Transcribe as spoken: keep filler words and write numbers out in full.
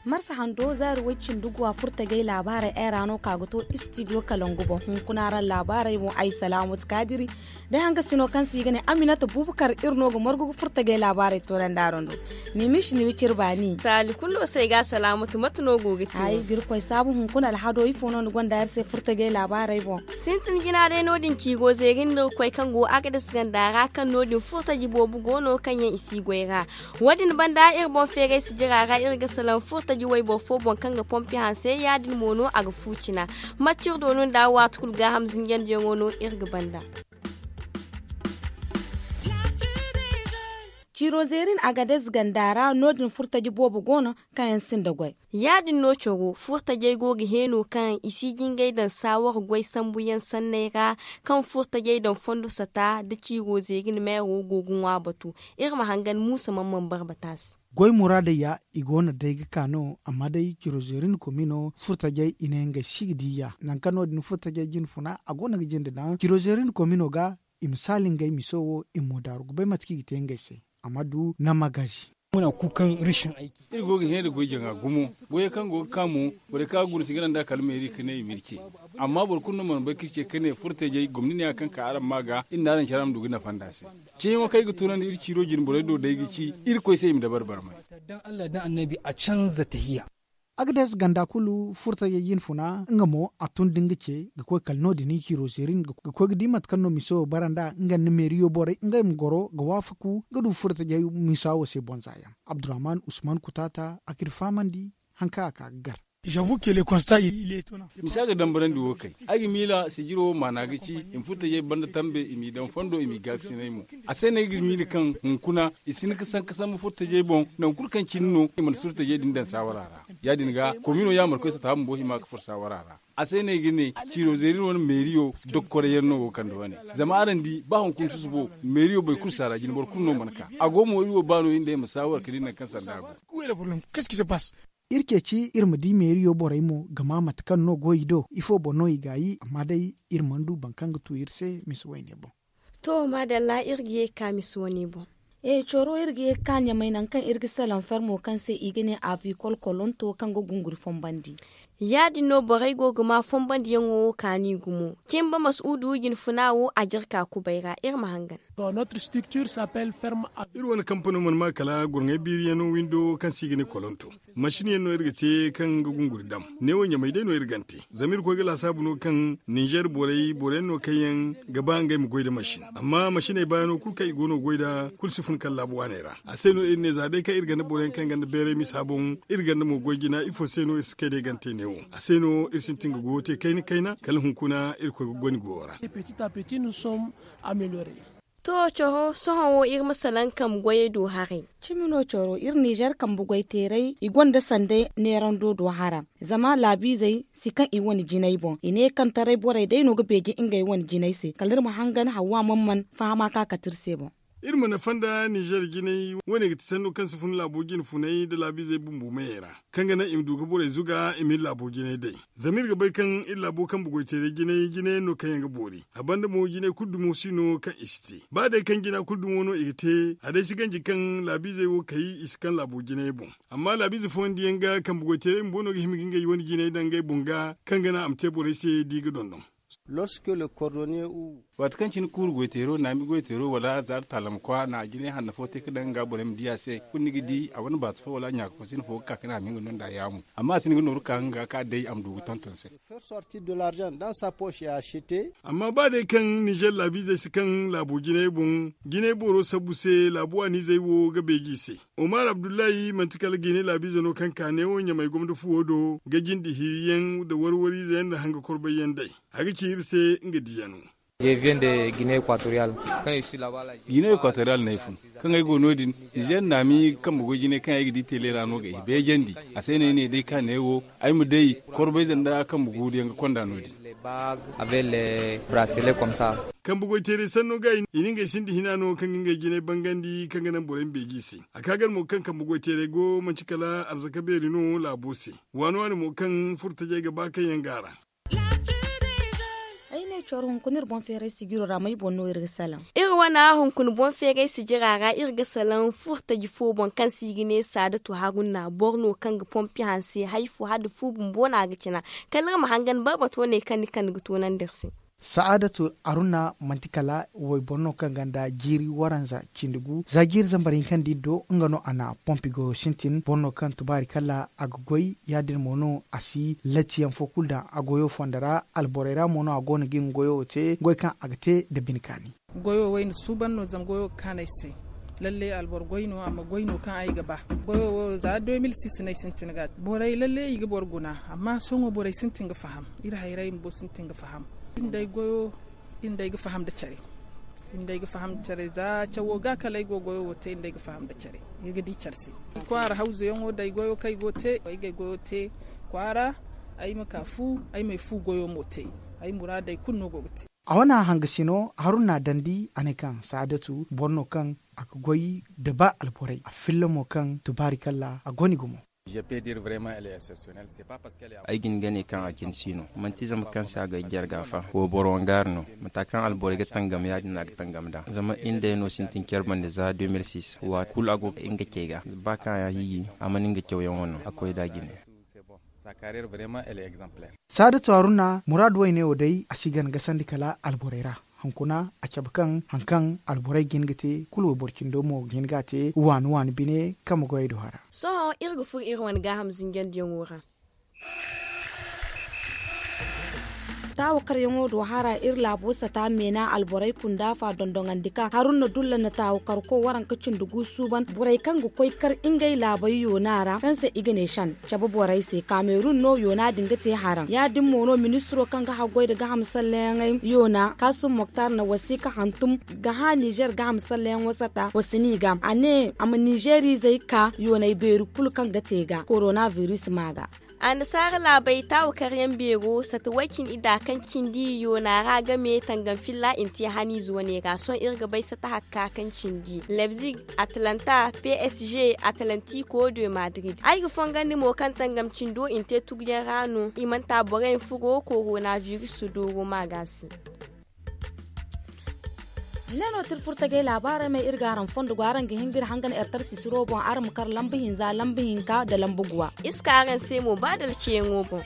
Marsa hando zaari way cindi guwa furtajey laabaarey ay ra no ka ga to istidiyo kalangu boŋ hunkuna ra laabaarey boŋ ay salaamatu kaadiri. Day hanga sino kaŋ se i ga ne aminata bubakar iri no ga margu ga furtajey laabaarey toorandi araŋ do. Ni ma i si ni wiciri baani taali kulu no se ay ga a salaamatu mate no go ga te ay ga iri koy saabu hunkuna alhado ifo no ni gonda iri se furtajey laabaarey boŋ. Sintin jina day no- din ciigo zeeri nda iri koy kaŋ go agadas ganda ra kaŋ no- din furtaji boobo go no kaŋ yaŋ i si goy ra. Wo- din banda iri boŋ feeray sijira ra iri ga salaŋ furtaji wayboro fo boŋ kaŋ ga pompi hanse ya- din mo no a ga fu cina. Mate iri doonu nda waati kulu gaaham zinjandiyaŋo no iri ga banda. Ciiro zeerin agades ganda ra no- din furtaji boobo go no kaŋ yaŋ sinda goy. Ya- din no coro furtajey go ga heeno kaŋ i si jingay daŋ saawar goy sambuyaŋ sanney ra kaŋ furtajey daŋ fondo sata nda ciiro zeerin meero go ga ŋwa batu. Iri ma hangan muusa man man barbata se. Goy muraadey ya i go no day ga ka no amma day ciiro zeerin komino furtajey i ne ngey si ga di ya nangu kaŋ no- din furtajey jine funa a go no ga jinde daŋ ciiro zeerin komino ga. I ma saali ngey miso wo i ma mo daaru ga bay mate kaŋ i ga te ngey se. A ma du na magazi. Iri go ga hẽ nda goy jaŋa gumo. Goyey kaŋ go ga ka mo borey kaŋ a guna si ga naŋ da kala meeri ka ne i ma iri ce. Amma boro kulu no mana bay ka iri ce ka ne furtajey gomni ne ya kaŋ ka araŋ ma ga iri na araŋ care araŋ ma du ga nafa nda se. Ceeyaŋo kaŋ ay ga tunandi iri ciiro jine borey do day ga ci irkoy se i ma dabari barmay. Agades ganda kulu furtajey jine funa nga mo a tun da nga ce ga koy kala no- din ciiro zeerin ga koy ga di mate kaŋ no miso wo bara nd'a nga nda meeriyo borey ngey ma goro ga waafaku ga du furtajey miso wo se bonza yaŋ. Abdurrahman usman kutaata a ga iri fahamandi. Haŋ kaŋ a ka ga gar. Misa ga dambarandi wo kay ay ga miila sijiro wo maana ga ci i ma furtajey banda tambe i m'i daŋ fondo i m'i gaakasinay mo. A se no ay ga miila kaŋ hunkuna i si hin ga sanka sambu furtajey boŋ nangu kulu kaŋ cine no i mana furtajey din daŋ saawara ra. Ya- din ga komino ya mana koy sata bumbo hima ga furo saawara ra. A se no ay ga ne ciiro zeeri no wane meeriyo dokkoray yaŋ no go kande wane. Zama araŋ di ba hunkuna susubo meeriyo boro kulu si a ra jine boro kulu no mana ka a go mo iri wo ba no iri nd'ey ma saawara ka di nangu kaŋ sanda a go. Iri ceeci iri ma di meeriyo borey mo ga ma mate kaŋ no go i do ifo boŋ no i gaayi amma day iri mana du boro kaŋ ga tu iri se misa wayne boŋ. To maadalla iri ga ye ga ka misa wane boŋ. Coro iri ga ye ga ka ɲamay nangu kaŋ iri ga salaŋ fermo kaŋ se i ga ne avi kolkolonto kaŋ ga gunguri fombandi. Ya- din no borey go ga ma fonbandiyaŋo wo kaani gumo. Cimba masuudu jinfuna wo a jirka kubay ra iri ma hangan. Iri wane kampano mana ma kala gurŋay biiriyaŋo windo kaŋ se i ga ne kolonto. Masin yaŋ no iri ga te kaŋ ga gunguri dam. Neewo ɲamay day no iri gante zama iri koy ga laasaabu no kaŋ ninzeer borey boro yaŋ no kaŋ yaŋ ga ba ngey ma goy nda masin. Amma masiney baano kulu kaŋ i go no ga goy nd'a kulu si fun kala laabu waaney ra. A se no iri ne za day kaŋ iri ganda boro yaŋ kaŋ ganda beeray misa boŋ iri ganda mo goy jina ifo se no iri si kay day gante neewo a se no iri sintin ga goyo te kayna kayna kala hunkuna iri koy ga goni goyo ra. To coro sohõ wo iri ma salaŋ kambe goyey do haray. Cimi no coro iri nizer kambe goyteeray i gonda sanday neerando do hara. Zama laabiizey si kaŋ i wane jinay boŋ i ne kaŋ taray borey day no ga beeje ngey wane jinay se kala iri ma hangan hawa man man fahama ka kate iri se boŋ. Iri ma nafa nda nizer jinay wane ga ti sanno kaŋ si fun laabo jine funay nda laabiizey bumbo mayey ra kaŋ ga naŋ i ma du ga borey zuga i ma iri laabo jinay day. Zama iri ga bay kaŋ iri laabo kambe goyteeray jinay jinayaŋ no kaŋ yaŋ ga boori. A banda mo jinay kulu dumo si no kaŋ i si te ba day kaŋ jina kulu dumo no i ga te a day si ganji kaŋ laabiizey wo kay i si kaŋ laabo jinay boŋ. Amma laabiize fooyaŋ diyaŋ ga kambe goyteeray bumbo no ga hima ga ngey wane jinay daŋ ngey boŋ ga kaŋ ga naŋ a ma te borey se da i ga dondon. Waati kaŋ cine kuuru goyteero naami goyteero wala zaari taalamkwa na jinay hanno fo te ga daŋ nga borey ma di a se kulu ni ga di a wane baasi fo wala ɲaaka fo sina fo ga ka ga ne a ma hin ga no nda yaamu. Amma a si hin ga nooru ka nga ka day a ma du ga tonton se. Amma ba day kaŋ nizer laabiizey si kaŋ laabo jinay boŋ jinay boro sabbu se laabu waaniizey wo ga beeji i se. Omar abdullahi manti kala gine laabiize no kaŋ ka neewo ɲamay gomdo fuwo do ga jinde hiiriyaŋ nda warwariize yaŋ nda hanga korbay yaŋ day. A ga ci iri se nga diyano. Gine ekwatoriyal no ay fun. Kaŋ ay go no- din nizer naami kambe goy jinay kaŋ ay ga di teele ra no ga ay beejandi. A se no ay ne day ka neewo ay ma day korbayze nda kambe guuru yaŋ ga konda no- din. Kambe goy teeray sanno ga i na ngey sinda hina no kaŋ ga ngey jinay bangandi kaŋ ga naŋ borey ma beeji i se. A ka gar mo kaŋ kambe goy teeray go manti kala arzaka beeri no laabo se. Waani waani mo kaŋ furtajey ga ba kaŋ yaŋ ga a ra. Ay ne coro hunkuna iri boŋ feeray sijiro ra may boŋ no iri ga salaŋ? Iri wane hunkuna boŋ feeray sijira ra iri ga salaŋ furtaji fo boŋ kaŋ se i ga ne saadatu haruna boro no kaŋ ga pompi hanse hari fo hala da fu bumbo no a ga cina. Kala iri ma hangan barbato ne kaŋ ni kande ga toonandi iri se. Saadatu haruna manti kala wayboro no kaŋ gonda jiiri waranza cindi gu za jiiri zambar hinka nda iri do nga no a na pompi goyo sintin boro no kaŋ tubaari kala a ga goy ya- din mo no a si latti yaŋ fo kulu daŋ a goyo fondo ra. Alborey ra mo no a go no ga nga goyo wo te goy kaŋ a ga te nda bine kaani. Goyo wo ay na suuban no zama goyo ga kaanu ay se. Lalle alboro goy no amma goy no kaŋ ay ga ba. Goyo wo za deux mille six no ay sintin ga te borey lalle i ga boro guna. Amma sohõ borey sintin ga faham iri hayray bumbo sintin ga faham. Iri nda ay goyo iri nda ay ga faham nda care. Iri nda ay ga faham nda care za cawo ga kala ay go goyo wo te iri nda ay ga faham nda care. Iri ga di care se kwaara hawzu yaŋo da ay goyo kaŋ ay go te ay ga ay goyo te kwaara. Ay ma ka fu ay ma ay fu goyo mo te. Ay muraadey kulu no go ga te. A wane hangasino haruna dandi a ne kaŋ saadatu boro no kaŋ a ga goy da ba alborey a filla mo kaŋ tubaari kalla a goni gumo. Ay ga hin ga ne kaŋ a cine si no manti zama kaŋ se a ga ay jarga fa wayboro wangaari no. Mata kaŋ alborey ga tangam ya- din no a ga tangam nd'a zama iri nd'ey no sintin care banda za deux mille six waati kulu a go ga nga cey ga ba kaŋ a hiiji a mana nga cawyaŋo no a koy nd'a jine. Saadatu haruna muraadu wayne wo day a si gana gasandi kala alborey ra. Hunkuna a cabe kaŋ hari kaŋ alborey ga hin ga te kulu wayboro cindo mo ga hin ga a te waani waani bine kaŋ ma goyey do hara. Sohõ iri ga furo iri wane gaaham zinjandiyaŋo ra. Taawakaryaŋo do hara iri laabo sata meena alborey kunda fa dondoŋandi ka haruna dulla na taawakarko waranka cindi gu suuban borey kaŋ ga koy kar ngey laabey yoona ra kaŋ se i ga ne shan cabe borey se kamerun no yoona din ga te haraŋ ya- din mo no ministiro kaŋ ga haggoy nda gaham salleyaŋey yoona kaasum moktar na wasiika hantum ga hã nizer gaham salleyaŋo sata wa si ni ga a ne a ma nizeriizey ka yooney beeri kulu kaŋ ga te ga korona biris ma ga. Annasaara laabey taawakaryaŋ beero sata way cine idda kaŋ cindi yoona ra game tangam filla i na te haniize wane ra sohõ iri ga bay sata hakka kaŋ cindi lebzig, atlanta, psg, atlantico de madrid ay ga fongandi mo kaŋ tangam cindo i na te tuguyaŋ ra no i mana ta boro yaŋ furo korona biris dooro ma ga se. Ne no tirfur tagay laabaarey ma iri ga araŋ fondo go araŋ ga hin ga iri hangan ertar sisiro boŋ araŋ ma kar lamba hinza lamba hinka nda lamba guwa. Iri si ka araŋ se mo ba dala ceeyaŋo boŋ.